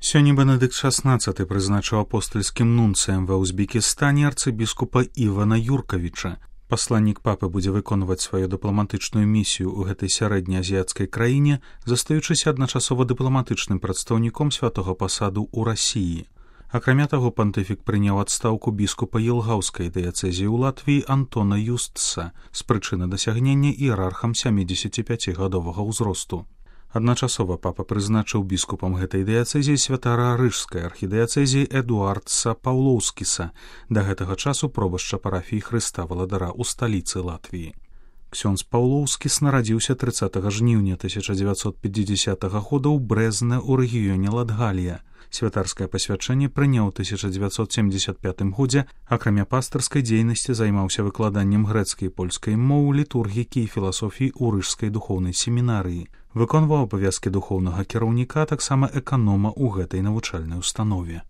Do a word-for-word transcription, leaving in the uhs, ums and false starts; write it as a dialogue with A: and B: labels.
A: Сёння Бенедыкт шаснаццаты прызначыў апостальскім нунцыем ва Узбекістане арцыбіскупа Івана Юркавіча. Пасланнік папы будзе выконваць сваю дыпламатычную місію ў гэтай сярэднеазіяцкай краіне, застаючыся адначасова дыпламатычным прадстаўніком святога пасаду ў Расіі. Акрамя таго, пантыфік прыняў адстаўку біскупа Елгаўскай дыяцэзіі ў Латвіі Антона Юстса з прычыны дасягнення іерархам сямідзесяціпяцігадовага ўзросту. Адначасова папа прызначыў біскупам гэтай дыяцэзіі святара рыжскай архідыяцэзіі Эдуардса Паўлоўскіса, да гэтага часу пробашча парафіі Хрыста Валадара ў сталіцы Латвіі. Ксёндз Паўлоўскіс нарадзіўся трыццатага жніўня тысяча дзевяцьсот пятидесятага года ў Брэзне ў рэгіёне Латгалія. Святарскае пасвячэнне прыняў у тысяча дзевяцьсот семьдесят пятым годзе, акрамя пастырскай дзейнасці займаўся выкладаннем грэцкай і польскай моў, літургікі і філасофіі ў рыжскай духоўнай семінарыі. Выконваў абавязкі духоўнага кіраўніка, таксама эканома ў гэтай навучальнай установе.